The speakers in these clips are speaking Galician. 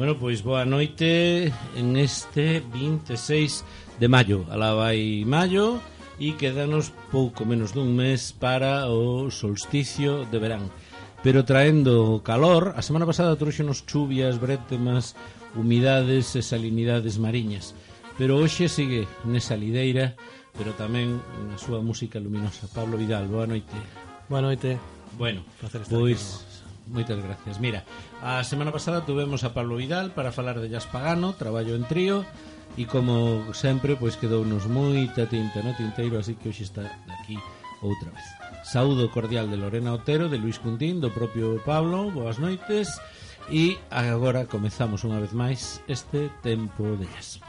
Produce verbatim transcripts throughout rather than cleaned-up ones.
Bueno, pois boa noite en este vinte e seis de maio. Alá vai maio e quedanos pouco menos dun mes para o solsticio de verán. Pero traendo calor, a semana pasada trouxenos chuvias, brétemas, humidades e salinidades mariñas. Pero hoxe sigue nesa lideira, pero tamén na súa música luminosa. Pablo Vidal, boa noite. Boa noite. Bueno, pois moitas gracias. Mira, a semana pasada tuvemos a Pablo Vidal para falar de jazz pagano, traballo en trío, e como sempre, pois quedounos moita tinta no tinteiro, así que hoxe está aquí outra vez. Saúdo cordial de Lorena Otero, de Luis Cuntín, do propio Pablo, boas noites, e agora comezamos unha vez máis este tempo de jazz.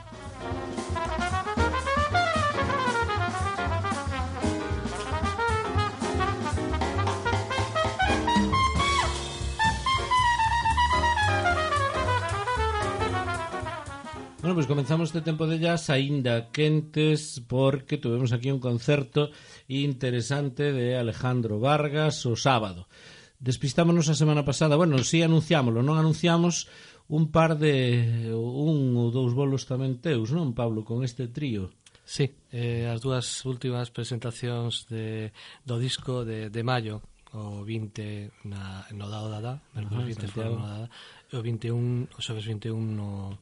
Bueno, pois comenzamos este tempo de jazz aínda quentes porque tuvemos aquí un concerto interesante de Alejandro Vargas o sábado. Despistámonos a semana pasada, bueno, si sí anunciámoslo, non anunciamos un par de un ou dous bolos tamén teus, non, Pablo, con este trío? Sí, eh, as dúas últimas presentacións de, do disco de, de maio, o vinte na, no Dado Dada, uh-huh, vinte foron no Dada, e o vinte e un, o xoves vinte e un no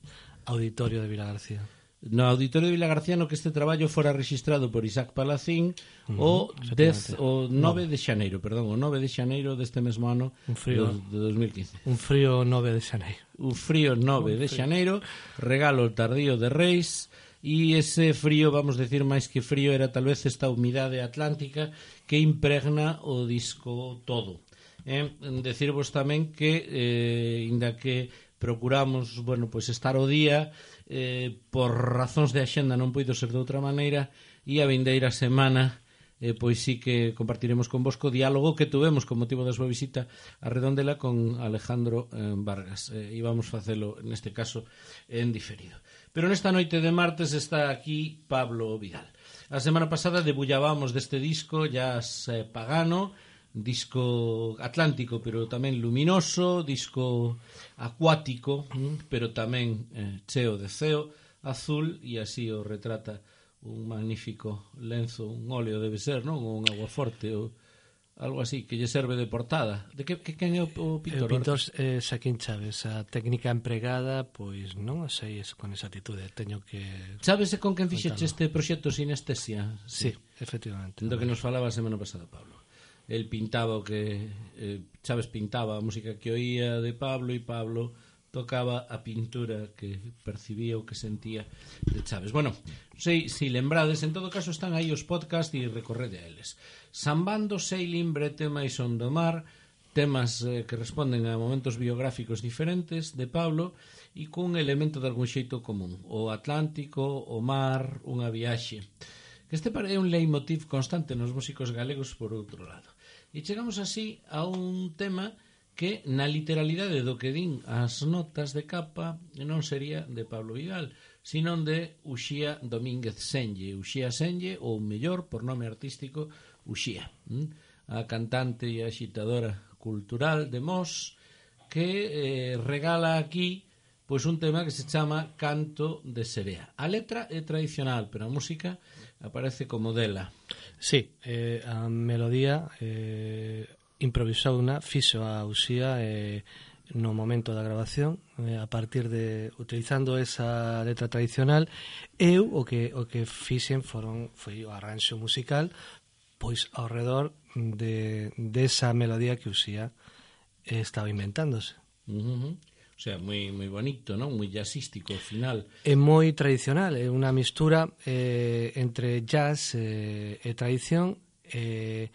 Auditorio de Vilagarcía. No Auditorio de Vilagarcía, no que este traballo fora registrado por Isaac Palacín uh-huh, o, dez, o nove de xaneiro, perdón, o nove de xaneiro deste mesmo ano un frío, de dos mil quince. Un frío nove de xaneiro. Un frío nove de xaneiro, regalo tardío de Reis, e ese frío, vamos decir máis que frío, era tal vez esta humidade atlántica que impregna o disco todo. Eh, decirvos tamén que, eh, inda que procuramos, bueno, pois estar o día, eh, por razóns de axenda non poido ser de outra maneira, e a vindeira semana eh, pois sí que compartiremos con vos co diálogo que tuvemos con motivo da súa visita a Redondela con Alejandro eh, Vargas. Eh, e vamos facelo, neste caso, en diferido. Pero nesta noite de martes está aquí Pablo Vidal. A semana pasada debullábamos deste disco Jazz eh, Pagano, disco atlántico pero tamén luminoso, disco acuático pero tamén eh, cheo de ceo azul, e así o retrata un magnífico lenzo, un óleo debe ser, non? Ou un aguaforte ou algo así que lle serve de portada. De que, que quen é o, o pintor? O pintor é eh, Xaquín Chaves. A técnica empregada, pois non sei con exactitude, teño que... Sabes con quen fixeche este proxecto Sinestesia? Sí, sí, efectivamente. Do que nos falaba a semana pasada Pablo. El pintaba o que eh, Chaves pintaba a música que oía de Pablo, e Pablo tocaba a pintura que percibía o que sentía de Chaves. Bueno, sei se si lembrades, en todo caso están aí os podcast e recorrede a eles. Sambando, Sailing, Bretema e Son do Mar, temas eh, que responden a momentos biográficos diferentes de Pablo e cun elemento de algún xeito común, o Atlántico, o mar, unha viaxe. Que este é un leitmotiv constante nos músicos galegos por outro lado. E chegamos así a un tema que na literalidade do que din as notas de capa non sería de Pablo Vidal, sino de Uxía Domínguez Senlle. Uxía Senlle, ou mellor, por nome artístico, Uxía, a cantante e axitadora cultural de Mos, que eh, regala aquí pois un tema que se chama Canto de Serea. A letra é tradicional, pero a música aparece como dela. Sí, eh, a melodía eh, improvisou unha fixo a Uxía eh, no momento da grabación eh, a partir de, utilizando esa letra tradicional. Eu o que o que fixen foron foi o arranxo musical pois ao redor de desa melodía que Uxía eh, estaba inventándose. Uh-huh. O sea, moi moi bonito, non? Moi jazzístico ao final. É moi tradicional, é unha mistura eh, entre jazz eh, e tradición eh,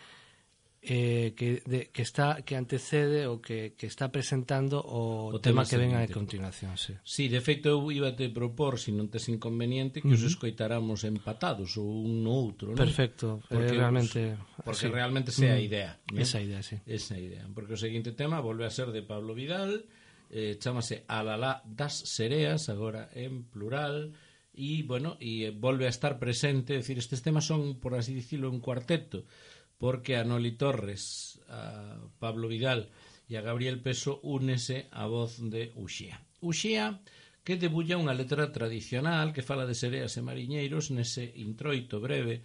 eh, que, de, que está que antecede ou que, que está presentando o, o tema, tema que ven a continuación. Sí. sí, de feito eu iba te propor, se non tes inconveniente, que uh-huh. os escoitáramos empatados ou un no outro, non? Perfecto, porque, eh, realmente porque sí. realmente sea a idea, ¿no? Esa idea, sí. Esa idea, porque o seguinte tema volve a ser de Pablo Vidal. Eh, chámase Alalá das Sereas, agora en plural, e, bueno, e volve a estar presente, é dicir, estes temas son, por así dicirlo, un cuarteto, porque a Noli Torres, a Pablo Vidal e a Gabriel Peso únese a voz de Uxía. Uxía que debulla unha letra tradicional que fala de sereas e mariñeiros nese introito breve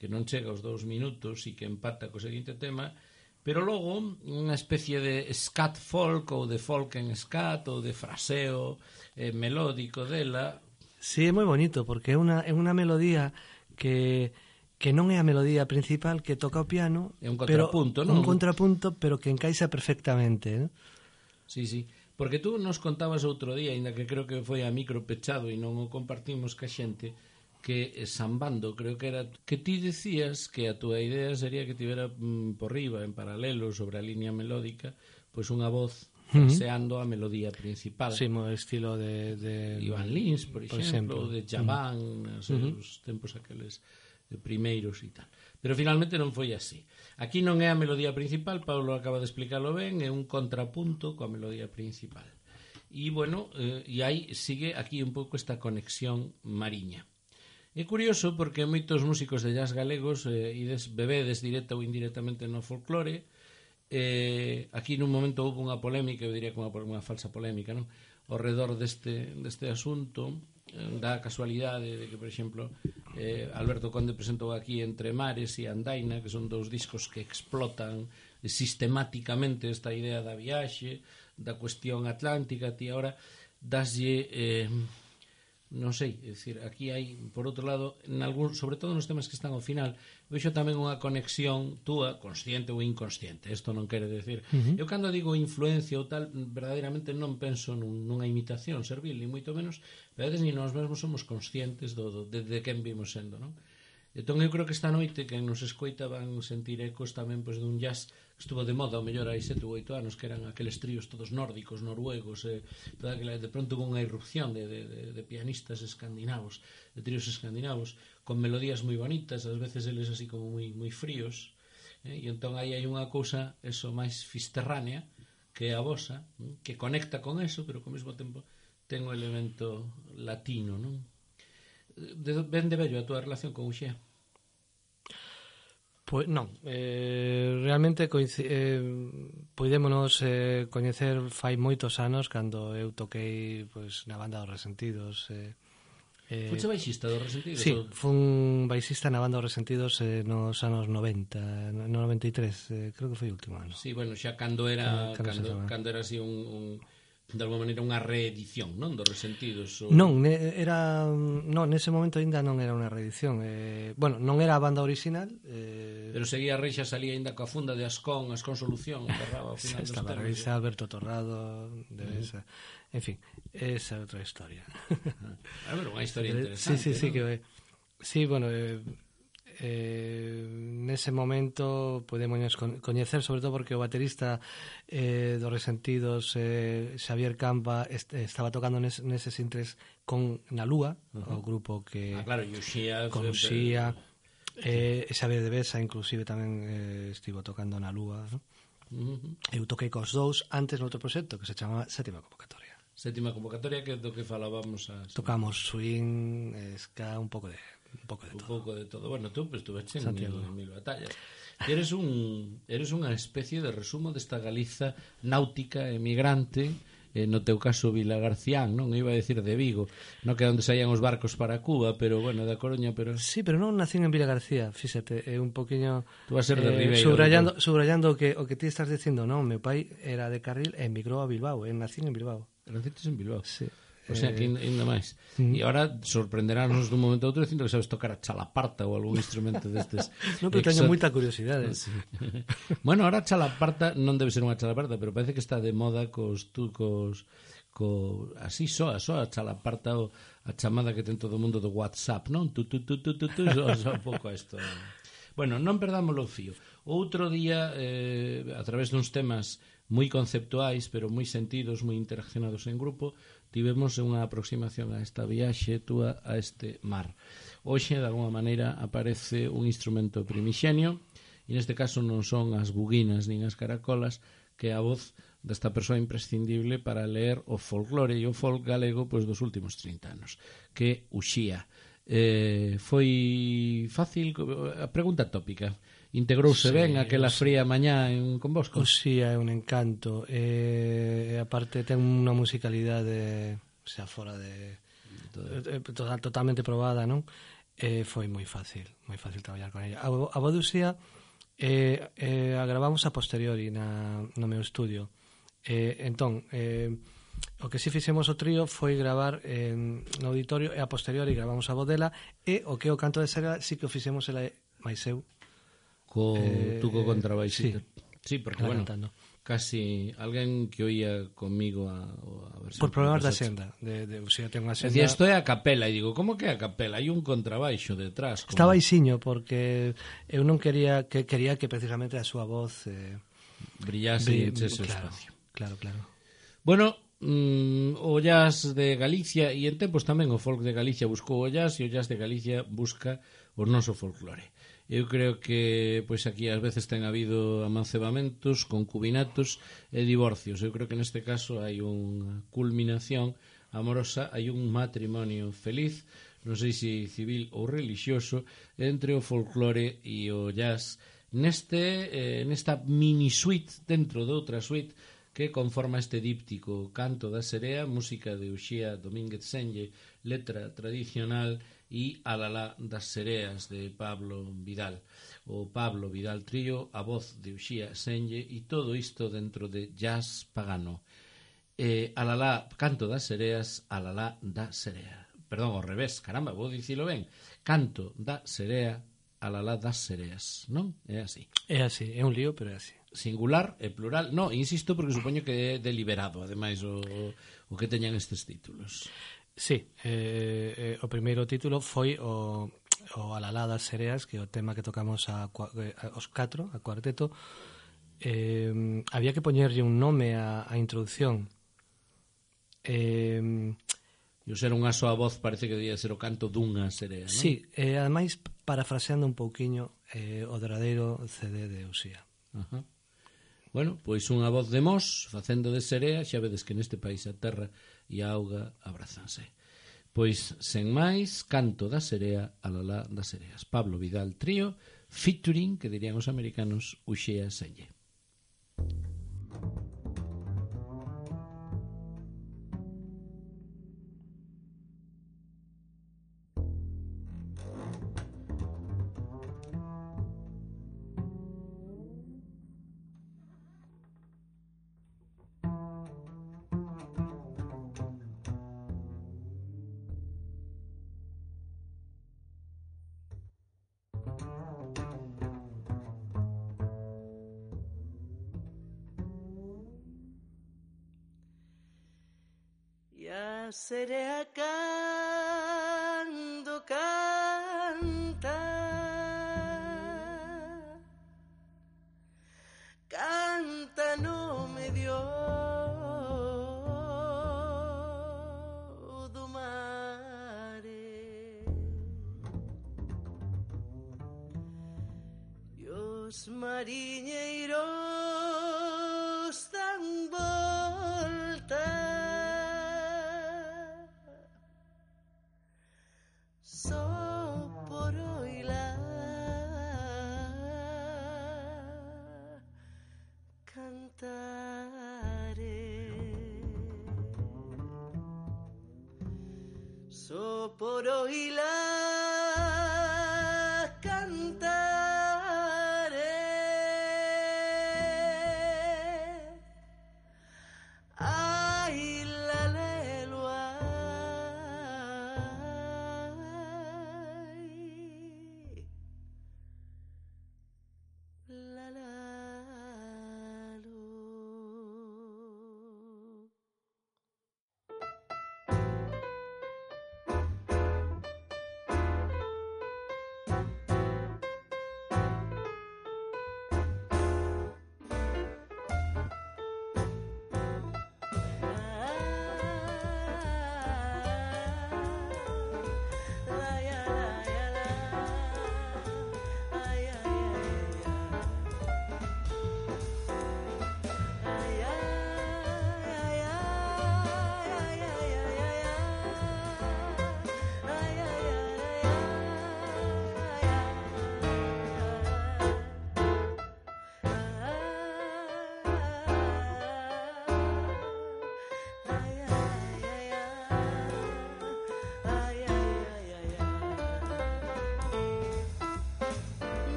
que non chega aos dous minutos e que empata co seguinte tema, pero logo unha especie de scat folk ou de folk en scat ou de fraseo eh, melódico dela. Sí, é moi bonito porque é unha, é unha melodía que que non é a melodía principal, que toca o piano, é un contrapunto, pero, non? Un contrapunto, pero que encaixa perfectamente, ¿no? Sí, sí, porque tú nos contabas outro día, ainda que creo que foi a micro pechado e non o compartimos ca xente, que sambando, creo que era que ti decías que a túa idea sería que tivera mm, por riba, en paralelo, sobre a línea melódica, pois unha voz fraseando uh -huh. a melodía principal. Sí, mo estilo de... de... Iván Lins, por, por exemplo, ou de Chaván, uh -huh. nos uh -huh. tempos aqueles primeiros e tal. Pero finalmente non foi así. Aquí non é a melodía principal, Paulo acaba de explicarlo ben, é un contrapunto coa melodía principal. E, bueno, eh, e aí sigue aquí un pouco esta conexión mariña. É curioso porque moitos músicos de jazz galegos eh, ides, bebedes directa ou indirectamente no folclore. Eh, aquí nun momento houve unha polémica, eu diría que unha, unha falsa polémica, non? Ao redor deste, deste asunto, da casualidade de que, por exemplo, eh, Alberto Conde presentou aquí Entre Mares e Andaina, que son dous discos que explotan sistemáticamente esta idea da viaxe, da cuestión atlántica. Ti agora daslle eh, non sei, é dicir, aquí hai, por outro lado, en algún, sobre todo nos temas que están ao final, vexo tamén unha conexión túa, consciente ou inconsciente. Isto non quere decir. Uh -huh. Eu cando digo influencia ou tal, verdadeiramente non penso nun, nunha imitación servil, ni moito menos, pero a veces ni nós mesmos somos conscientes do, do, de, de quen vimos sendo, non? Entón eu creo que esta noite quen nos escoita van sentir ecos tamén pois, dun jazz que estuvo de moda, ao mellor hai sete ou oito anos, que eran aqueles tríos todos nórdicos, noruegos, eh, toda aquela, de pronto hubo unha irrupción de, de, de, de pianistas escandinavos, de tríos escandinavos, con melodías moi bonitas, ás veces eles así como moi, moi fríos, eh, e entón aí hai unha cousa, eso, máis fisterránea, que é a vosa, eh, que conecta con eso, pero ao mesmo tempo ten o elemento latino, non? De, ben de bello a túa relación con Uxía? Pois non, eh, realmente eh, poidémonos eh, coñecer fai moitos anos cando eu toquei pois, na banda dos Resentidos. Eh, eh, Fuche baixista dos Resentidos? Sí, ou... fun baixista na banda dos Resentidos eh, nos anos noventa, no noventa e tres, eh, creo que foi o último ano. Sí, bueno, xa cando era, cando, cando, cando era así un... un... de alguma maneira unha reedición, non, dos Resentidos ou... Non, era non, nese momento ainda non era unha reedición eh, bueno, non era a banda original eh... pero seguía Reixa, salía ainda coa funda de Ascón, Ascón Solución enterraba ao final dos estaba temas. Reixa, Alberto Torrado de uh -huh. en fin, esa é outra historia. A ver, unha historia interesante, sí, sí, sí, ¿no? que sí, bueno eh, eh, nese momento podemos coñecer sobre todo porque o baterista eh, dos Resentidos eh, Xavier Campa est estaba tocando nes, neses intres con Na Lúa, uh -huh. o grupo que ah, claro, Uxía, con Uxía eh, Xavier de Besa inclusive tamén eh, estivo tocando Na Lúa, ¿no? Uh -huh. Eu toquei cos dous antes noutro proxecto que se chamaba Sétima Convocatoria. Sétima Convocatoria, que é do que falábamos a... Tocamos swing, ska, un pouco de un pouco de un todo. pouco de todo. Bueno, tú pues, estuveche en mil, mil batallas. Eres un eres unha especie de resumo desta Galiza náutica emigrante, eh, no teu caso Vilagarcián, non? Iba a decir de Vigo, non que onde saían os barcos para Cuba, pero bueno, da Coruña, pero... Sí, pero non nacín en Vilagarcía, fíxate, é un poquinho... Tú vas a ser de eh, Ribeiro. Subrayando, subrayando o que, o que ti estás dicindo, non? Meu pai era de Carril e emigrou a Bilbao, e nacín en Bilbao. Nacites en Bilbao? Sí. O sea, que ainda máis. E agora sorprenderános dun momento a outro dicindo que sabes tocar a chalaparta ou algún instrumento destes. Non, pero teño moita curiosidade. Sí. Bueno, ahora a chalaparta non debe ser unha chalaparta, pero parece que está de moda cos tucos, co así soa, soa a chalaparta ou a chamada que ten todo o mundo do WhatsApp, non? Tu tu tu tu tu, tu soa, soa un pouco a isto. Bueno, non perdamos o fío. Outro día, eh, a través duns temas moi conceptuais, pero moi sentidos, moi interaccionados en grupo, tivemos unha aproximación a esta viaxe túa a este mar. Hoxe, de alguma maneira, aparece un instrumento primixenio, e neste caso non son as buguinas nin as caracolas, que é a voz desta persoa imprescindible para ler o folclore e o folk galego pois, dos últimos trinta anos, que é Uxía. Eh, foi fácil, a pregunta tópica, integrouse sí, ben aquela sí. fría mañá en Convosco? Uxía é un encanto, e, e aparte ten unha musicalidade xa fora de eh, total, totalmente probada, non? E foi moi fácil, moi fácil traballar con ella. A, a voz de Uxía eh, eh, a gravamos a posteriori na, no meu estudio. Eh, entón, eh, o que si fixemos o trío foi gravar eh, no auditorio, e a posteriori gravamos a voz dela, e o que é o canto de Sera si que o fixemos ela máis eu. Co, Eh, tú co contrabaixista. sí, Sí, porque, ela bueno, cantando. casi alguén que oía comigo a, a versión. Por problemas da Conversache. senda, de, de, o sea, ten unha Decía, senda. isto é a capela, e digo, como que é a capela? Hai un contrabaixo detrás. Como... Está baixiño porque eu non quería que quería que precisamente a súa voz eh, brillase e bri- echese o claro, espacio. Claro, claro. Bueno, mm, o jazz de Galicia, e en tempos tamén o folk de Galicia buscou o jazz, e o jazz de Galicia busca o noso folclore. Eu creo que pois aquí ás veces ten habido amancebamentos, concubinatos e divorcios. Eu creo que neste caso hai unha culminación amorosa, hai un matrimonio feliz, non sei se civil ou religioso, entre o folclore e o jazz neste eh, nesta mini suite dentro de outra suite que conforma este díptico Canto da Serea, música de Uxía Domínguez Senlle, letra tradicional, e Alalá das Sereas de Pablo Vidal. O Pablo Vidal Trío, a voz de Uxía Senlle, e todo isto dentro de jazz pagano. Eh, Alalá, Canto das Sereas, Alalá da Serea. Perdón, ao revés, caramba, vou dicilo ben. Canto da Serea, Alalá das Sereas, non? É así. É así, é un lío, pero é así. Singular e plural, no, insisto porque supoño que é deliberado ademais o, o que teñan estes títulos. Sí, eh, eh, o primeiro título foi o, o Alalá das Sereas, que é o tema que tocamos a, a, os catro, a cuarteto. Eh, había que poñerlle un nome á, á introducción. Eh, E o ser unha soa voz parece que debía ser o canto dunha serea, non? sí, e eh, ademais parafraseando un pouquiño eh, o derradeiro C D de Uxía. Ajá. Bueno, pois unha voz de Mos facendo de serea, xa vedes que neste país a terra e a auga abrazanse. Pois, sen máis, Canto da Serea, Alalá das Sereas. Pablo Vidal Trío, featuring, que dirían os americanos, Uxía Senlle. Ya serea cando canta, canta no medio do mare, e os mariñeiros dan volta só por oíla cantare, só por oíla cantare. Ay, la lelo, ay, la la lo.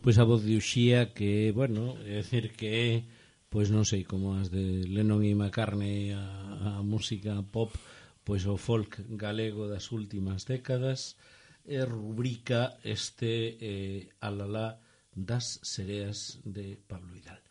pois a voz de Uxía que, bueno, é dicir que é, pois non sei, como as de Lennon e McCartney, a, a música pop, pois o folk galego das últimas décadas, e rubrica este eh, alalá das sereas de Pablo Vidal.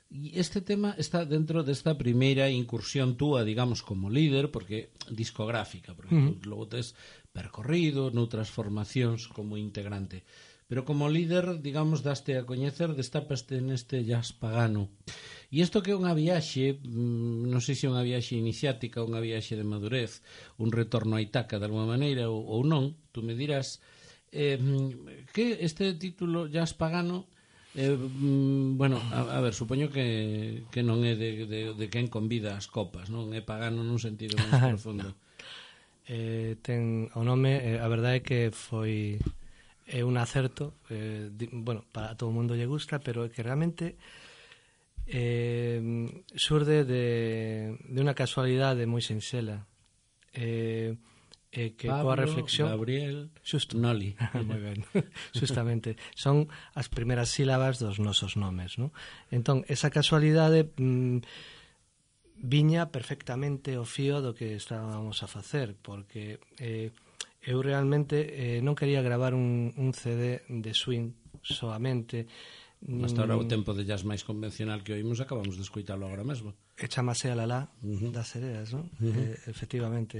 E este tema está dentro desta primeira incursión túa, digamos, como líder, porque discográfica, porque uh-huh. logo tes percorrido noutras formacións como integrante. Pero como líder, digamos, daste a coñecer, destapaste neste jazz pagano. E isto que é unha viaxe, non sei se é unha viaxe iniciática, unha viaxe de madurez, un retorno a Itaca de alguma maneira, ou, ou non, tú me dirás, eh, que este título jazz pagano, eh, bueno, a, a ver, supoño que, que non é de, de, de quen convida as copas, non é pagano nun sentido máis profundo. eh, ten o nome, eh, a verdade é que foi é un acerto, eh, di, bueno, para todo o mundo lle gusta, pero é que realmente eh, surde de, de unha casualidade moi sinxela, eh, eh, que Pablo, coa reflexión Gabriel, xusto. Noli. Moi ben. Justamente, son as primeiras sílabas dos nosos nomes, ¿no? Entón, esa casualidade mmm, viña perfectamente o fío do que estábamos a facer, porque eh, eu realmente eh, non quería gravar un, un C D de swing soamente. Hasta ahora o tempo de jazz máis convencional que oímos acabamos de escoitalo agora mesmo. E chamase a Lalá uh-huh. das sereas, ¿no? Uh-huh. Eh, efectivamente.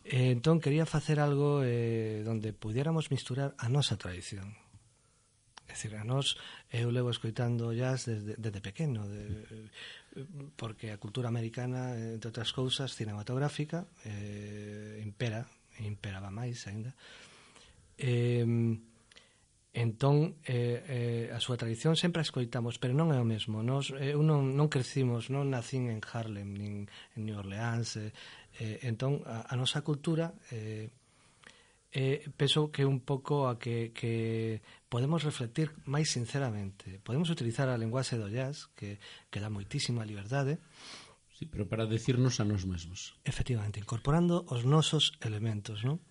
Eh, entón, quería facer algo eh, donde pudiéramos misturar a nosa tradición. É dicir, a nós, eu levo escoitando jazz desde, desde pequeno, de, porque a cultura americana, entre outras cousas, cinematográfica, eh, impera, imperaba máis ainda. Eh, entón, eh, eh, a súa tradición sempre a escoitamos, pero non é o mesmo. Nos, eu non, non crecimos, non nacín en Harlem, nin en New Orleans, eh, Eh, entón, a, a nosa cultura eh, eh, penso que un pouco a que, que podemos reflectir máis sinceramente. Podemos utilizar a linguaxe do jazz, que, que dá moitísima liberdade. Sí, pero para decirnos a nós mesmos. Efectivamente, incorporando os nosos elementos, non?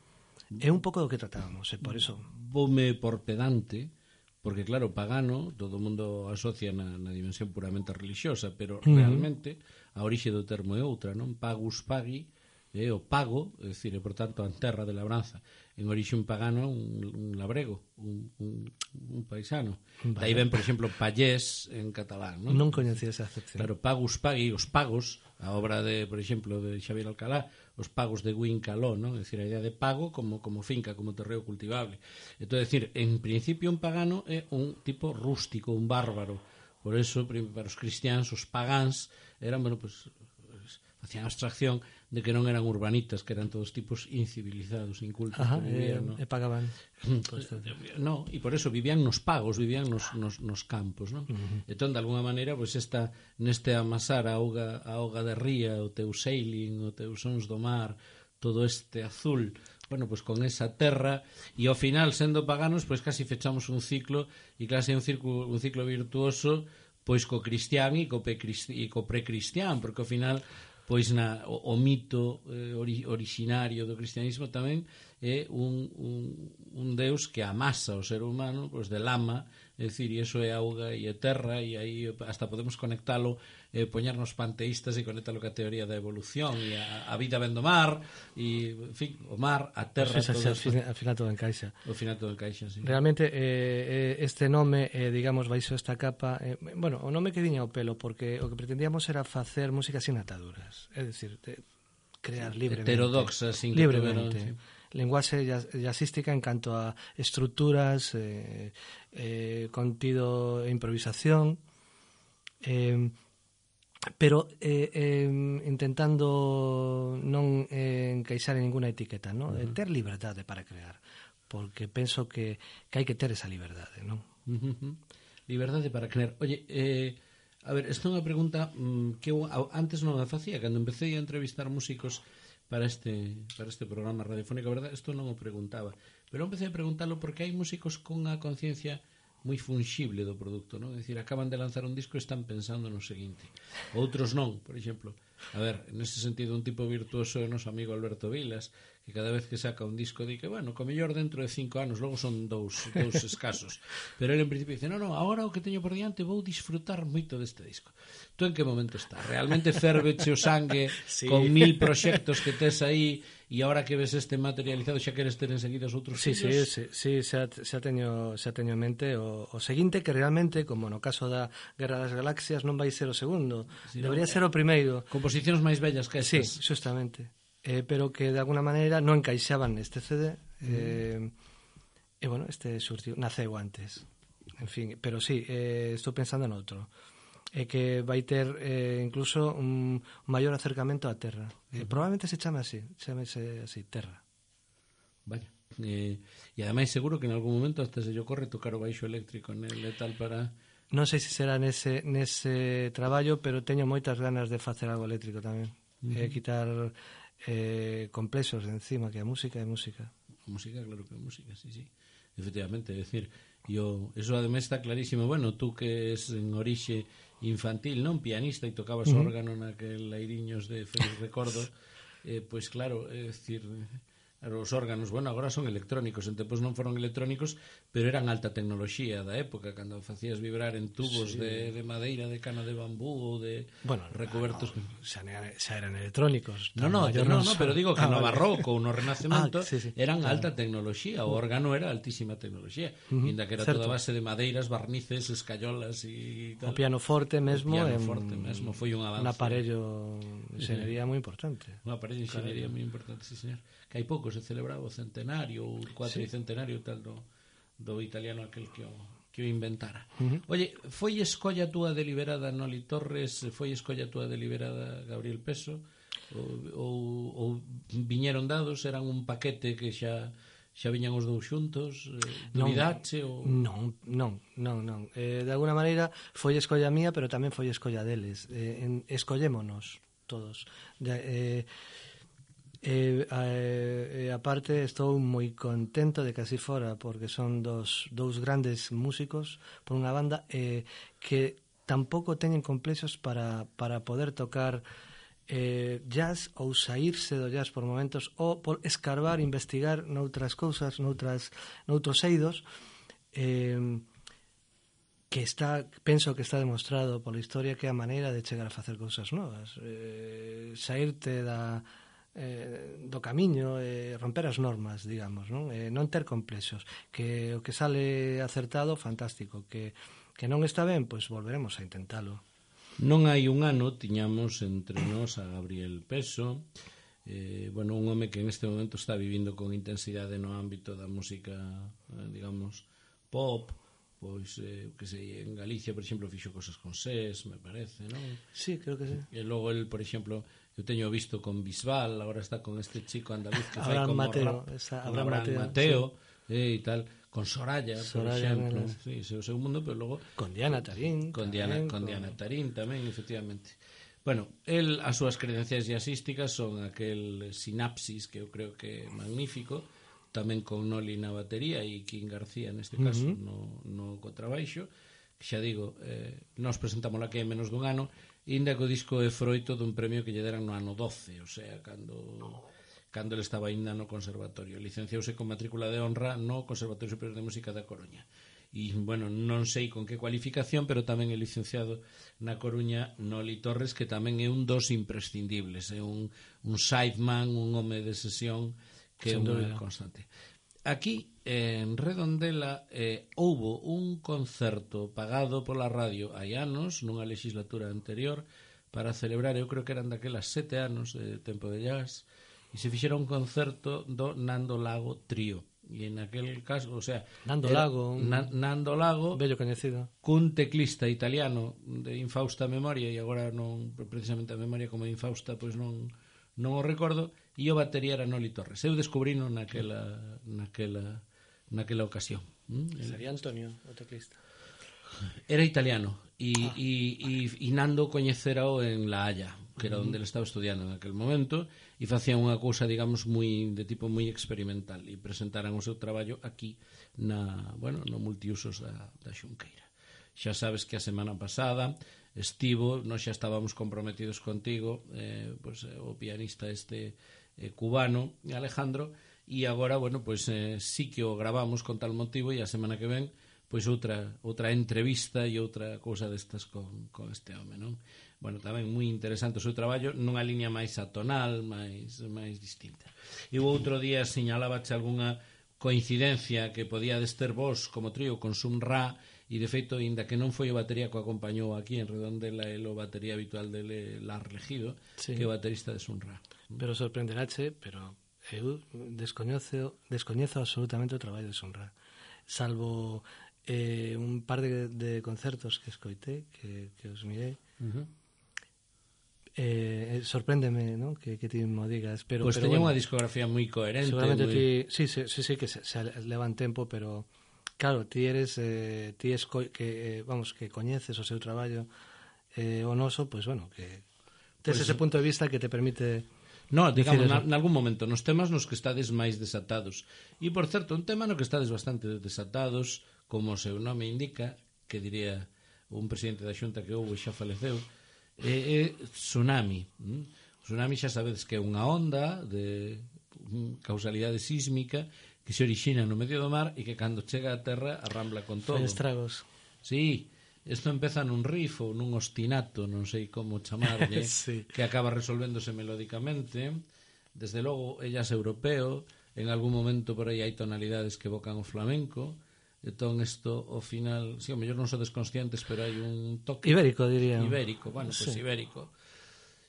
É un pouco do que tratábamos, e por iso... Voume por pedante, porque claro, pagano, todo o mundo asocia na, na dimensión puramente religiosa, pero uh-huh. realmente a orixe do termo é outra, non? Pagus pagi, é o pago, é dicir, e por tanto a terra de labranza. En orixe un pagano, un, un labrego, un, un, un paisano. Vale. Daí ven, por exemplo, pallés en catalán, non? Non coñecía esa acepción. Claro, pagus pagi, os pagos, a obra de, por exemplo, de Xavier Alcalá, os pagos de Guín Caló, non? É dicir, a idea de pago como, como finca, como terreo cultivable. Entón, é dicir, en principio un pagano é un tipo rústico, un bárbaro. Por eso, para os cristianos, os pagáns eran, bueno, pues, facían abstracción de que non eran urbanitas, que eran todos tipos incivilizados, incultos. Ajá, que vivían, e, no? e pagaban. No, e por eso vivían nos pagos, vivían nos, nos, nos campos, non? Uh-huh. Entón, de alguna maneira, pues, esta, neste amasar a auga, a auga de ría, o teu sailing, o teu sons do mar, todo este azul, bueno, pues con esa terra, e ao final, sendo paganos, pues casi fechamos un ciclo, e casi un ciclo, un ciclo virtuoso, pois co cristián e co, e co precristián, porque ao final pois na, o, o mito eh, ori, originario do cristianismo tamén é un, un, un deus que amasa o ser humano pois de lama, é dicir, e iso é auga e é terra, e aí hasta podemos conectalo, eh, poñernos panteístas e conectalo ca teoría da evolución e a, a vida ven do mar e, en fin, o mar, a terra, pues todo al, final, al final todo encaixa. Ao final todo encaixa, sí. Realmente eh, este nome, eh, digamos, baixo esta capa, eh, bueno, o nome que viña ao pelo, porque o que pretendíamos era facer música sin ataduras, é dicir, de crear libremente, heterodoxa, sin que libremente, tuvieron, sí. Lenguaxe jazzística en canto a estruturas, eh, eh, contido e improvisación, eh, pero eh, eh, intentando non eh, encaixar en ninguna etiqueta, ¿no? Uh-huh. Ter liberdade para crear, porque penso que, que hai que ter esa liberdade, non? Uh-huh. Liberdade para crear. Oye, eh, a ver, esta é unha pregunta mmm, que eu antes non a facía, cando empecé a entrevistar músicos para este para este programa radiofónico, a verdade, isto non o preguntaba, pero empecé a preguntalo porque hai músicos con a conciencia moi fungible do produto, non? É dicir, acaban de lanzar un disco e están pensando no seguinte. Outros non, por exemplo, A ver, nese sentido un tipo virtuoso é o noso amigo Alberto Vilas, que cada vez que saca un disco di que, bueno, co mellor dentro de cinco anos, logo son dous, dous escasos. Pero ele en principio dice, no, no, agora o que teño por diante vou disfrutar moito deste disco. Tú en que momento está? Realmente ferveche o sangue sí. con mil proxectos que tes aí e agora que ves este materializado xa queres ter enseguida os outros sí, fillos? Sí, sí, sí, xa, xa, teño, xa teño en mente o, o seguinte que realmente, como no caso da Guerra das Galaxias, non vai ser o segundo, sí, debería no, ser o primeiro. Composicións máis bellas que estas. Sí, justamente. Eh, pero que de alguna maneira non encaixaban neste C D eh, mm. e bueno, este surtiu, naceu antes, en fin, pero sí, eh, estou pensando en outro é eh, que vai ter eh, incluso un maior acercamento á Terra. Mm. eh, probablemente se chame así, chamese así, Terra. Vaya, eh, e ademais seguro que en algún momento hasta se lle ocorre tocar o baixo eléctrico nel e tal para... Non sei se será nese, nese traballo, pero teño moitas ganas de facer algo eléctrico tamén. Mm. eh, quitar eh, complexos de encima, que a música é música. A música, claro que é música, sí, sí. Efectivamente, é dicir, yo, eso además está clarísimo. Bueno, tú que es en orixe infantil, non pianista e tocabas uh -huh. órgano naquel Airiños de Feliz Recordo, eh, pois claro, é dicir... Os órganos, bueno, agora son electrónicos, en tempos non foron electrónicos, pero eran alta tecnoloxía da época, cando facías vibrar en tubos sí. de, de madeira, de cana de bambú ou de bueno, recubertos. No, xa, xa eran electrónicos. No, no, no, no, pero digo que ah, no vale. Barroco ou no Renacemento ah, sí, sí, eran claro. alta tecnoloxía, o órgano era altísima tecnoloxía, uh -huh, inda que era certo. Toda base de madeiras, barnices, escayolas e tal. O pianoforte mesmo, o pianoforte en... mesmo foi un avance. Un aparello de enxeñería moi importante. Un aparello de enxeñería moi importante, sí, señor. Que hai pouco se celebraba o centenario ou o cuatricentenario sí. tal do, do italiano aquel que o, que o inventara. Uh -huh. Oye, foi escolla túa deliberada Noli Torres, foi escolla túa deliberada Gabriel Peso, ou, ou, ou viñeron dados, eran un paquete que xa xa viñan os dous xuntos, eh, dubidache ou... Non, non, non, non. Eh, de alguna maneira foi escolla mía, pero tamén foi escolla deles. Eh, en, escollémonos todos. De, eh, E, e, e aparte estou moi contento de que así fora, porque son dos dous grandes músicos por unha banda eh, que tampouco teñen complexos para, para poder tocar eh, jazz ou saírse do jazz por momentos ou por escarbar, investigar noutras cousas, noutras, noutros eidos eh, que está, penso que está demostrado pola historia que é a maneira de chegar a facer cousas novas, eh, saírte da Eh, do camiño, eh, romper as normas, digamos, non? Eh, non ter complexos, que o que sale acertado, fantástico, que, que non está ben, pois volveremos a intentalo. Non hai un ano tiñamos entre nós a Gabriel Peso, eh, bueno, un home que en este momento está vivindo con intensidade no ámbito da música, eh, digamos, pop, pois, eh, que sei, en Galicia, por exemplo, fixo cosas con SES, me parece, non? Sí, creo que sí. E logo el, por exemplo, eu teño visto con Bisbal, agora está con este chico andaluz que fai Abraham como Mateo, rap, esa, Abraham, Abraham Mateo, Mateo sí. eh, e tal, con Soraya, Soraya por exemplo, sí, ese é o seu mundo, pero logo con Diana Tarín, con Diana, tamén, con con... Diana Tarín tamén, efectivamente. Bueno, el, as súas credencias jazzísticas son aquel Sinapsis, que eu creo que é magnífico, tamén con Noli na batería e King García neste caso uh -huh. no, no contrabaixo, que xa digo, eh, nos presentamos aquí en menos dun ano, inda que o disco é froito dun premio que lle deran no ano doce, o sea, cando cando ele estaba ainda no conservatorio. Licenciouse con matrícula de honra no Conservatorio Superior de Música da Coruña. E, bueno, non sei con que cualificación, pero tamén é licenciado na Coruña Noli Torres, que tamén é un dos imprescindibles, é un, un sideman, un home de sesión que é unha constante. Aquí, en Redondela, eh, houbo un concerto pagado pola radio hai anos, nunha legislatura anterior, para celebrar, eu creo que eran daquelas sete anos de Tempo de Jazz, e se fixera un concerto do Nando Lago Trío. E en aquel caso, o sea... Nando Lago, un Na, Nando Lago, bello coñecido. Cun teclista italiano de infausta memoria, e agora non, precisamente a memoria como infausta, pois non... non o recordo, e o batería era Noli Torres. Eu descubrino naquela naquela naquela ocasión. ¿Mm? Sería Antonio, o teclista. Era italiano e, ah. e, e, e Nando coñecerao en La Haya, que era onde ele estaba estudiando en aquel momento, e facían unha cousa, digamos, moi de tipo moi experimental, e presentaran o seu traballo aquí na, bueno, no multiusos da, da Xunqueira. Xa sabes que a semana pasada estivo, nós xa estábamos comprometidos contigo, eh, pues, o pianista este eh, cubano, Alejandro, e agora, bueno, pues eh, sí que o gravamos con tal motivo, e a semana que ven pois outra outra entrevista e outra cousa destas con, con este home, non? Bueno, tamén moi interesante o seu traballo nunha liña máis atonal, máis máis distinta. E o outro día señalábache algunha coincidencia que podíades ter vos como trío con Sun Ra, e de feito, inda que non foi o batería que o acompañou aquí en Redondela, el o batería habitual dele, Lar Regido, sí, que é o baterista de Sun Ra. Pero sorprenderache, pero eu descoñezo, descoñezo absolutamente o traballo de Sun Ra, salvo eh, un par de, de concertos que escoitei, que, que os mirei. Uh-huh. Eh, sorpréndeme, ¿no? que, que ti mo digas, pero, pues pero teña bueno, unha discografía moi coherente, seguramente muy... ti, sí, sí, sí, sí que se, se levan tempo, pero claro, ti eres eh, ti es co que, eh, vamos, que coñeces o seu traballo, eh, o noso, pues bueno, que tes pues, ese punto de vista que te permite. No, digamos, na, nalgún momento nos temas nos que estades máis desatados. E, por certo, un tema no que estades bastante desatados, como o seu nome indica, que diría un presidente da Xunta que houve xa faleceu, é, é tsunami. O tsunami xa sabedes que é unha onda de causalidade sísmica que se orixina no medio do mar e que cando chega a terra arrambla con todo. Fai estragos. Sí, isto empeza nun riff ou nun ostinato, non sei como chamarlle, sí, que acaba resolvéndose melódicamente. Desde logo, ellas europeo, en algún momento por aí hai tonalidades que evocan o flamenco. Entón, isto, ao final, si, sí, ao mellor non sodes conscientes, pero hai un toque... Ibérico, diría. Ibérico, bueno, pois pues, sí, ibérico.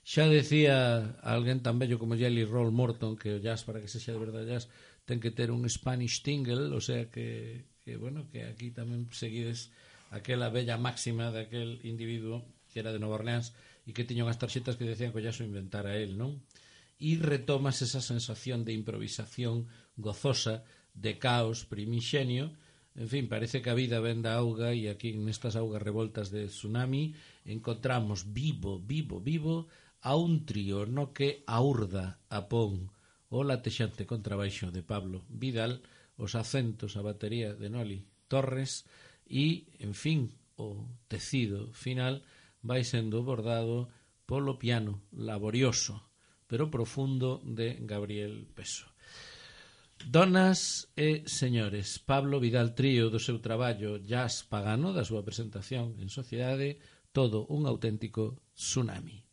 Xa decía alguén tan bello como Jelly Roll Morton que o jazz, para que sexa de verdade jazz, ten que ter un Spanish tingle, o sea que, que bueno, que aquí tamén seguides aquela bella máxima daquel individuo que era de Nova Orleans e que tiña unhas tarxetas que decían que o jazz o inventara él, non? E retomas esa sensación de improvisación gozosa, de caos primixenio. En fin, parece que a vida ven da auga e aquí nestas augas revoltas de tsunami encontramos vivo, vivo, vivo a un trío no que aurda a pon o latexante contrabaixo de Pablo Vidal, os acentos, a batería de Noli Torres e, en fin, o tecido final vai sendo bordado polo piano laborioso pero profundo de Gabriel Peso. Donas e señores, Pablo Vidal Trío, do seu traballo Jazz Pagano, da súa presentación en Sociedade, todo un auténtico tsunami.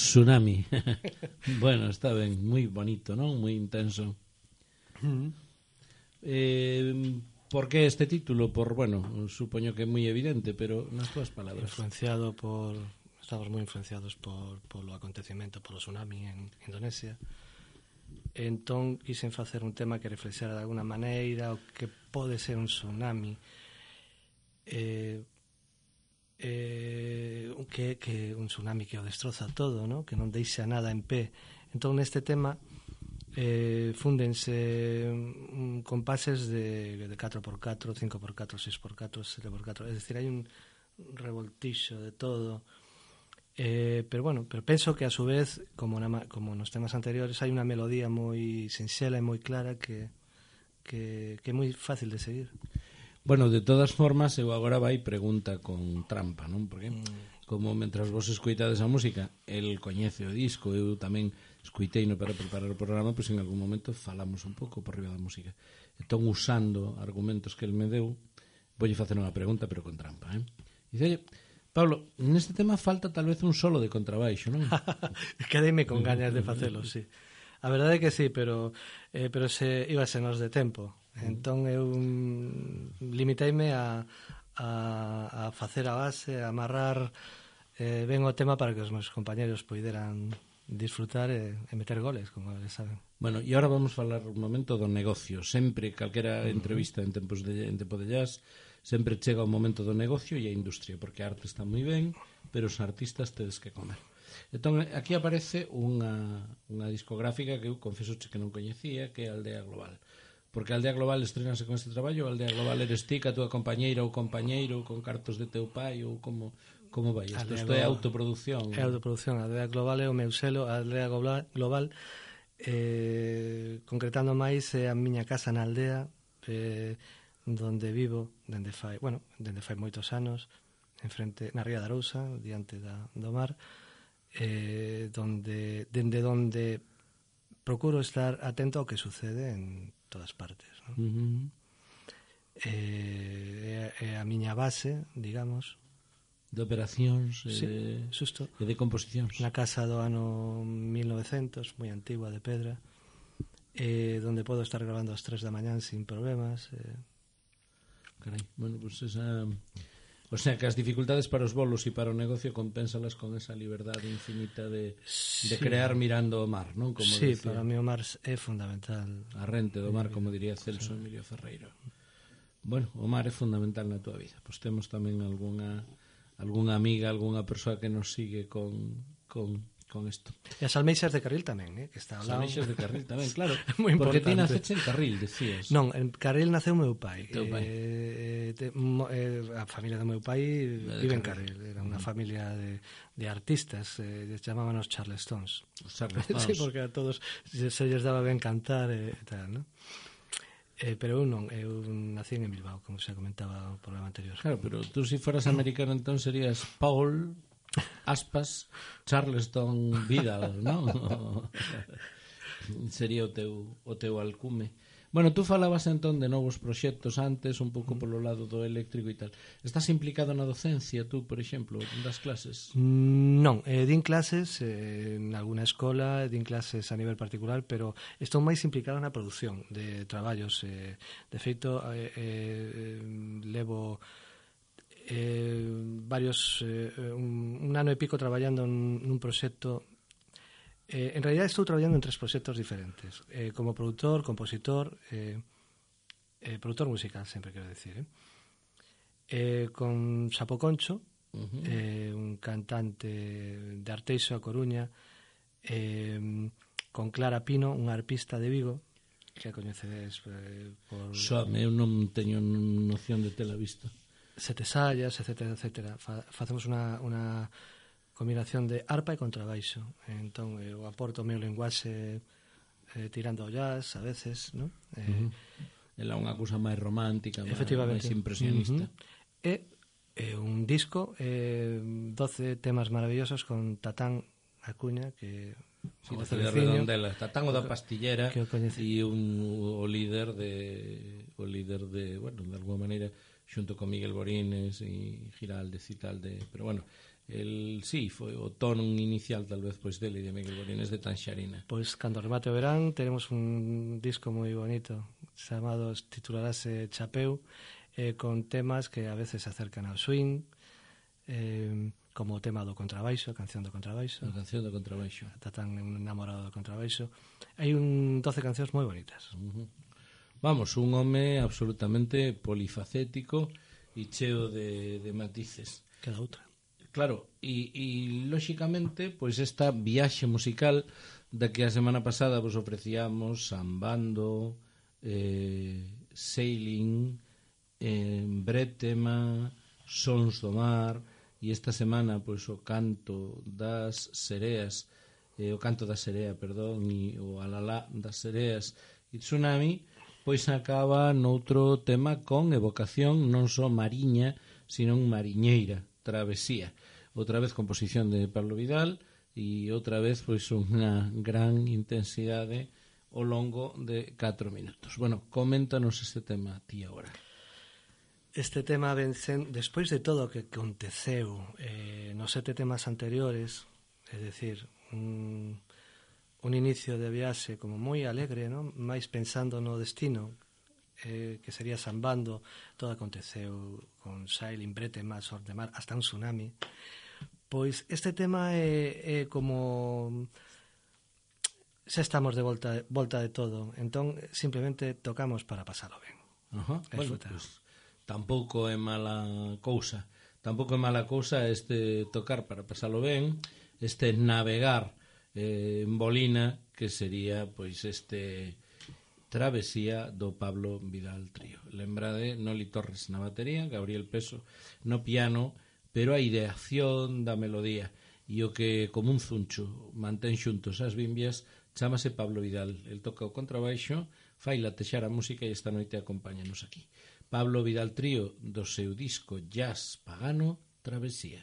Tsunami. Bueno, está ben, moi bonito, non? Moi intenso. Mm. Eh, por que este título? Por, bueno, supoño que é moi evidente, pero nas túas palabras. Influenciado por... Estamos moi influenciados por, por lo acontecimento, polo tsunami en Indonesia. Entón, quixen facer un tema que reflexara de alguna maneira o que pode ser un tsunami. Eh... Eh, que, que un tsunami que o destroza todo, ¿no? Que non deixa nada en pé. Entón neste tema eh, fúndense um, compases de, de catro por catro, cinco por catro, seis por catro, sete por catro, es decir, hai un revoltixo de todo. Eh, pero bueno, pero penso que a su vez, como, na, como nos temas anteriores, hai unha melodía moi sinxela e moi clara que, que, que é moi fácil de seguir. Bueno, de todas formas, eu agora vai pregunta con trampa, non? Porque como mentras vos escoitades a música, el coñece o disco, eu tamén escoitei no para preparar o programa, pois en algún momento falamos un pouco por riba da música. Entón, usando argumentos que el me deu, voulle facer unha pregunta, pero con trampa, eh? Dice, oye, Pablo, neste tema falta tal vez un solo de contrabaixo, non? Quedeime con gañas de facelo, sí. A verdade é que sí, pero eh, pero se íbase nos de tempo. Entón eu limiteime a, a, a facer a base, a amarrar eh, ben o tema para que os meus compañeros poideran disfrutar e, e meter goles, como eles saben. Bueno, e agora vamos falar un momento do negocio. Sempre, calquera entrevista en tempos de, en tempo de jazz, sempre chega o momento do negocio e a industria, porque a arte está moi ben, pero os artistas tedes que comer. Entón, aquí aparece unha, unha discográfica que eu confeso que non coñecía, que é a Aldea Global. Porque a Aldea Global estrenase con este traballo, a Aldea Global eres ti, a túa compañeira ou compañeiro, con cartos de teu pai, ou como, como vai isto? Isto é autoproducción. É autoproducción, a Aldea Global é o meu selo, a Aldea Global, eh, concretando máis, é a miña casa na aldea, eh, donde vivo, dende fai, bueno, dende fai moitos anos, en frente, na Ría da Arousa, diante da, do mar, eh, donde, dende donde procuro estar atento ao que sucede en todas partes, ¿no? Uh-huh. eh, é, é a miña base, digamos, de operacións e sí, de, xusto. e de composicións. Na casa do ano mil novecientos, moi antigua, de pedra, eh, donde podo estar grabando ás tres da mañán sin problemas. Eh. Carai, bueno, pues esa... O sea, que as dificultades para os bolos e para o negocio compénsalas con esa liberdade infinita de, sí. de crear mirando o mar, non? Como sí, decía. para mí o mar é fundamental. A rente do mar, como diría Celso sí. Emilio Ferreiro. Bueno, o mar é fundamental na túa vida. Pois temos tamén algunha algunha amiga, algunha persoa que nos sigue con, con, con isto. E as almeixas de Carril tamén, eh, que está ao lado. As almeixas de Carril tamén, claro. Moi porque ti importante. naceche en Carril, decías. Non, en Carril naceu meu pai. Teu pai. Eh, te, mo, eh, a familia do meu pai vive en Carril. Era unha familia de, de artistas, eh, les chamábamos Charlestones. Os Charlestones. Sí, porque a todos se, se lles daba ben cantar e eh, tal, non? Eh, pero eu non, eu nací en Bilbao, como se comentaba o programa anterior. Claro, pero tú si foras americano entón serías Paul Aspas Charleston Vidal, non? Sería o teu, o teu alcume. Bueno, tú falabas entón de novos proxectos antes, un pouco polo lado do eléctrico e tal. Estás implicado na docencia, tú, por exemplo, das clases? Non, eh, din clases eh, en alguna escola, din clases a nivel particular, pero estou máis implicado na produción de traballos. Eh, de feito, eh, eh, levo eh, varios eh, un, un ano e pico traballando nun proxecto. Eh, en realidad estou traballando en tres proxectos diferentes, eh, como produtor, compositor, eh, eh, produtor musical, sempre quero decir, eh. Eh, con Sapo Concho, uh-huh. eh, un cantante de Arteixo, a Coruña, eh, con Clara Pino, unha arpista de Vigo, que a coñecedes eh, por... Xome, eu non teño noción de tela vista. Sete Sallas, etcétera, etcétera. Fa, facemos unha... unha combinación de arpa e contrabaixo. Entón, eu aporto o meu linguaxe eh, tirando ao jazz, a veces, non? Eh, uh-huh. Ela é unha cousa máis romántica, máis impresionista. Uh-huh. E eh, un disco, eh, doce temas maravillosos con Tatán Acuña, que sí, de Redondela, Tatán o da Pastillera e un o líder de o líder de, bueno, de alguma maneira xunto con Miguel Borines e Giraldes e tal de, pero bueno, el, sí, foi o tono inicial tal vez pois dele de Miguel Borines de Tanxarina. Pois cando remate o verán teremos un disco moi bonito chamado, titularase Chapeu, eh, con temas que a veces se acercan ao swing, eh, como o tema do contrabaixo, a canción do contrabaixo, A canción do contrabaixo. está tan enamorado do contrabaixo. Hai un doce cancións moi bonitas. Uh-huh. Vamos, un home absolutamente polifacético e cheo de, de matices. Queda outra. Claro, e, e lóxicamente, pois esta viaxe musical da que a semana pasada vos ofrecíamos Sambando, eh, Sailing, eh, Bretema, Sons do Mar, e esta semana pois o canto das sereas, eh, o canto da serea, perdón, e o alalá das sereas e Tsunami, pois acaba noutro tema con evocación non só mariña, sino mariñeira, travesía. Outra vez composición de Pablo Vidal e outra vez pois unha gran intensidade ao longo de catro minutos. Bueno, coméntanos este tema ti agora. Este tema vencen, despois de todo o que aconteceu eh, nos sete temas anteriores, é dicir, un, un inicio de viaxe como moi alegre, non? Máis pensando no destino, eh, que sería Sambando, todo aconteceu con Sailing, Bretema, Sons do Mar, hasta un tsunami. Pois este tema é, é como xa estamos de volta, volta de todo, entón simplemente tocamos para pasalo ben. Ajá. Bueno, pues, tampouco é mala cousa. Tampouco é mala cousa este tocar para pasalo ben, este navegar eh, en bolina, que sería pois este Travesía do Pablo Vidal Trío. Lembrade, Noli Torres na batería, Gabriel Peso no piano, pero a ideación da melodía e o que como un zuncho mantén xuntos as bimbias chámase Pablo Vidal. El toca o contrabaixo, fai latexar a música e esta noite acompáñanos aquí. Pablo Vidal Trío, do seu disco Jazz Pagano, Travesía.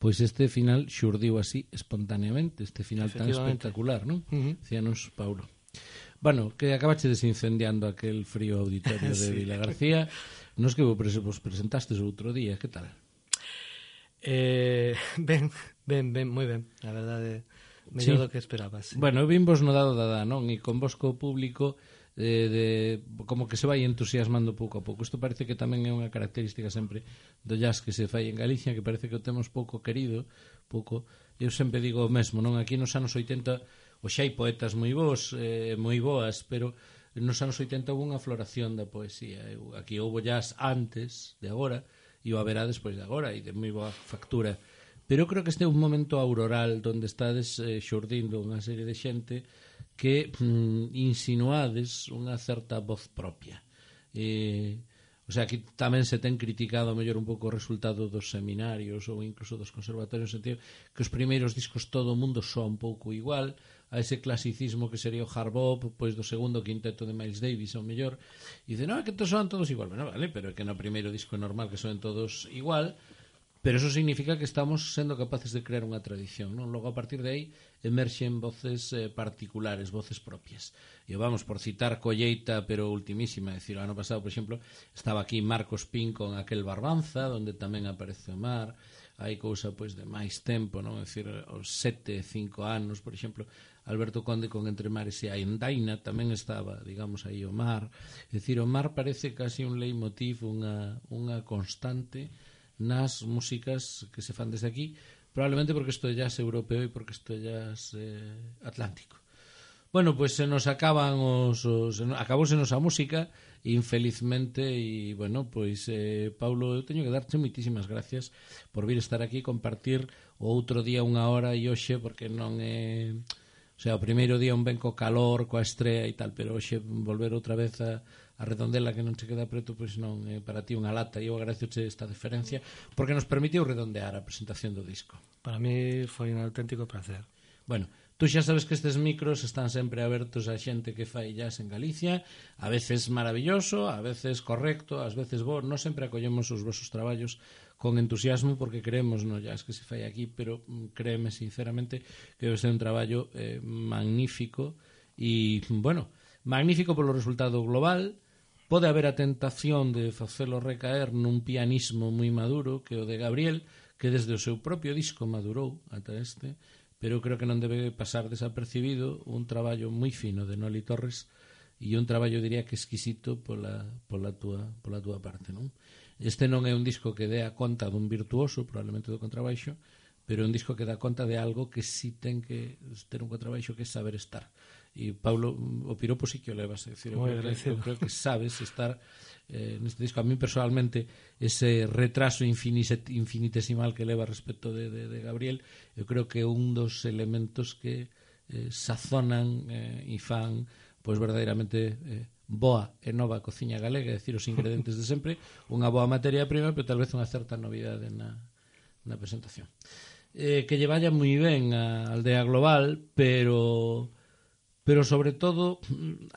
pois este final xurdiu así espontaneamente, este final tan Efectivamente. espectacular, non? Ujú. Decíanos Paulo. Bueno, que acabaste desincendiando aquel frío auditorio de Sí. Vila García. Nos que vos pres- vos presentastes outro día, que tal? Eh, ben, ben, ben, moi ben. A verdade, mellor Sí. do que esperaba. Sí. Bueno, eu vin vos no dado da da, non? E con vos co público eh, de, como que se vai entusiasmando pouco a pouco. Isto parece que tamén é unha característica sempre do jazz que se fai en Galicia, que parece que o temos pouco querido, pouco. Eu sempre digo o mesmo, non? Aquí nos anos oitenta o xa hai poetas moi bons, eh, moi boas, pero nos anos oitenta houve unha floración da poesía. Eu, aquí houve jazz antes de agora e o haberá despois de agora e de moi boa factura. Pero eu creo que este é un momento auroral onde estades eh, xurdindo unha serie de xente que mm, insinuades unha certa voz propia. Eh, o sea, aquí tamén se ten criticado a mellor un pouco o resultado dos seminarios ou incluso dos conservatorios, no sentido que os primeiros discos todo o mundo soa un pouco igual a ese clasicismo que sería o hard bop, pois do segundo quinteto de Miles Davis ao mellor, e dice, non, é que todos soan todos igual. Bueno, vale, pero é que no primeiro disco é normal que soen todos igual. Pero eso significa que estamos sendo capaces de crear unha tradición, non? Logo, a partir de aí, emerxen voces eh, particulares, voces propias. E vamos, por citar colleita, pero ultimísima, é dicir, o ano pasado, por exemplo, estaba aquí Marcos Pin con aquel Barbanza, onde tamén aparece o mar, hai cousa, pois, de máis tempo, non? É dicir, os sete, cinco anos, por exemplo, Alberto Conde con Entre Mares e a Endaina, tamén estaba, digamos, aí o mar. É dicir, o mar parece casi un leitmotiv, unha, unha constante nas músicas que se fan desde aquí, probablemente porque isto é jazz europeo e porque isto é jazz eh, atlántico. Bueno, pois pues se nos acaban os, os acabousenos a música, infelizmente, e bueno, pois eh, Paulo, eu teño que darte moitísimas gracias por vir estar aquí e compartir o outro día unha hora e hoxe, porque non é, o sea, o primeiro día un ben co calor, coa estrea e tal, pero hoxe volver outra vez a a redondela que non se queda preto, pois non é para ti unha lata, e eu agradezoche esta deferencia porque nos permitiu redondear a presentación do disco. Para mí foi un auténtico placer. Bueno, tú xa sabes que estes micros están sempre abertos a xente que fai jazz en Galicia, a veces maravilloso, a veces correcto, ás veces bo. Non sempre acollemos os vosos traballos con entusiasmo porque creemos no jazz que se fai aquí, pero créeme sinceramente que debe ser un traballo eh, magnífico e, bueno, magnífico polo resultado global. Pode haber a tentación de facelo recaer nun pianismo moi maduro que o de Gabriel, que desde o seu propio disco madurou ata este, pero creo que non debe pasar desapercibido un traballo moi fino de Noli Torres e un traballo, diría que exquisito pola, pola, tua, pola tua parte, non? Este non é un disco que dé a conta dun virtuoso, probablemente do contrabaixo, pero é un disco que dá conta de algo que sí ten que ter un contrabaixo, que é saber estar. E Paulo, o piropo sí que o levas, é dicir, eu, creo que, eu creo que sabes estar eh, neste disco. A mí personalmente ese retraso infinitesimal que leva respecto de, de, de Gabriel, eu creo que é un dos elementos que eh, sazonan eh, e fan pois verdadeiramente eh, boa e nova cociña galega, é dicir, os ingredientes de sempre, unha boa materia prima, pero tal vez unha certa novidade na, na presentación. Eh, que lle vaya moi ben a Aldea Global, pero pero sobre todo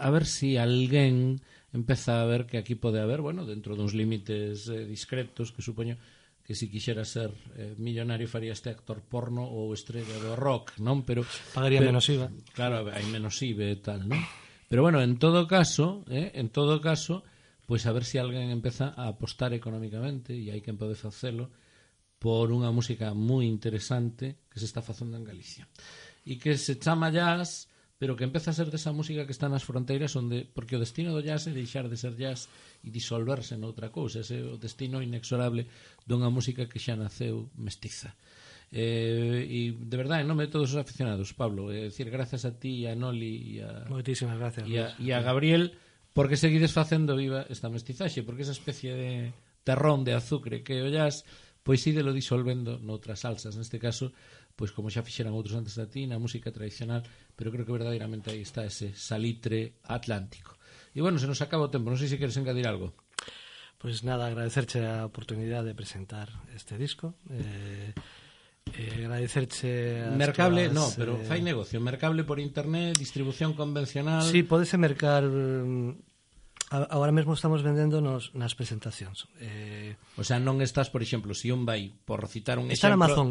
a ver si alguén empeza a ver que aquí pode haber, bueno, dentro duns límites eh, discretos, que supoño que si quixera ser eh, millonario faría este actor porno ou estrella do rock, non? Pero pagaría pero, menos I V A. Claro, hai menos I V A e tal, non? Pero bueno, en todo caso, eh, en todo caso, pois a ver si alguén empeza a apostar económicamente, e hai quen pode facelo, por unha música moi interesante que se está facendo en Galicia. E que se chama jazz, pero que empeza a ser desa música que está nas fronteiras, onde, porque o destino do jazz é deixar de ser jazz e disolverse noutra cousa, ese é o destino inexorable dunha música que xa naceu mestiza. Eh, e de verdade, en nome de todos os aficionados, Pablo, é dicir, grazas a ti e a Noli e a, moitísimas gracias, e a, e a Gabriel, porque seguides facendo viva esta mestizaxe, porque esa especie de terrón de azucre que o jazz, pois ídelo disolvendo noutras salsas, neste caso, pois como xa fixeran outros antes da ti, na música tradicional, pero creo que verdadeiramente aí está ese salitre atlántico. E bueno, se nos acaba o tempo, non sei se queres engadir algo. Pois nada, agradecerche a oportunidade de presentar este disco, eh, eh, agradecerche as Mercable, todas, no, pero eh... fai negocio, mercable por internet, distribución convencional. Sí, podese mercar. Agora mesmo estamos vendendo nos, nas presentacións. Eh... O sea, non estás, por exemplo, se un vai, por citar un está exemplo... en Amazon.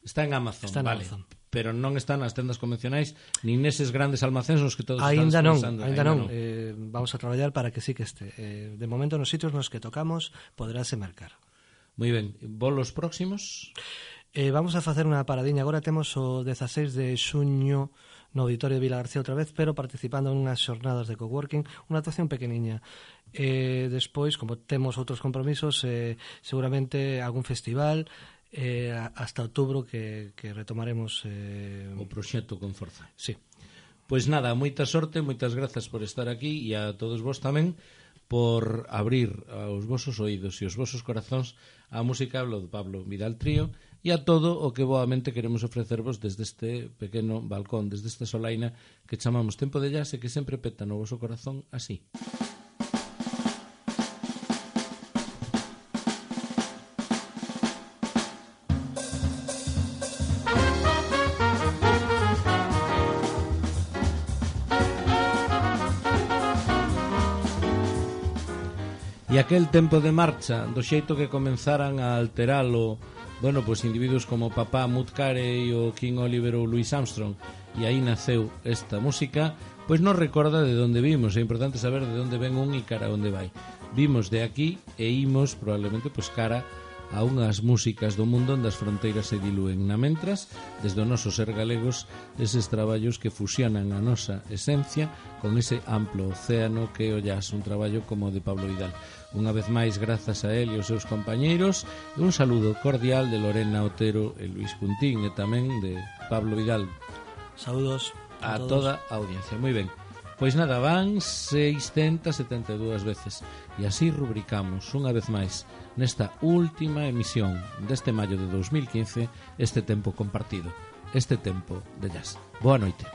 Está en Amazon, Está en vale. Amazon. Pero non está nas tendas convencionais nin neses grandes almacéns nos que todos Ainda están non, pensando. ainda non. Eh, vamos a traballar para que sí que este. Eh, de momento nos sitios nos que tocamos poderase mercar. Moi ben, bolos próximos? Eh, vamos a facer unha paradiña. Agora temos o dezaseis de xuño no Auditorio de Vila García outra vez, pero participando en unhas xornadas de coworking, unha actuación pequeniña. Eh, despois, como temos outros compromisos, eh, seguramente algún festival, eh, hasta outubro que, que retomaremos eh... O proxecto con forza. Sí. Pois nada, moita sorte, moitas grazas por estar aquí e a todos vos tamén por abrir aos vosos oídos e os vosos corazóns a música do Pablo Vidal Trío e a todo o que boamente queremos ofrecervos desde este pequeno balcón, desde esta solaina que chamamos Tempo de Jazz e que sempre peta no voso corazón así. E aquel tempo de marcha, do xeito que comenzaran a alteralo, bueno, pois individuos como Papá Mutcare e o King Oliver ou Louis Armstrong, e aí naceu esta música, pois nos recorda de onde vimos. É importante saber de onde ven un e cara a onde vai. Vimos de aquí e imos probablemente pois cara a unhas músicas do mundo onde as fronteiras se dilúen. Na mentras, desde o noso ser galegos, eses traballos que fusionan a nosa esencia con ese amplo océano que o jazz, un traballo como o de Pablo Vidal. Unha vez máis, grazas a él e aos seus compañeiros, e un saludo cordial de Lorena Otero e Luis Puntín, e tamén de Pablo Vidal. Saúdos a, a todos. toda a audiencia. Moi ben. Pois nada, van seiscentas setenta e dúas veces e así rubricamos unha vez máis nesta última emisión deste maio de dos mil quince este tempo compartido, este tempo de jazz. Boa noite.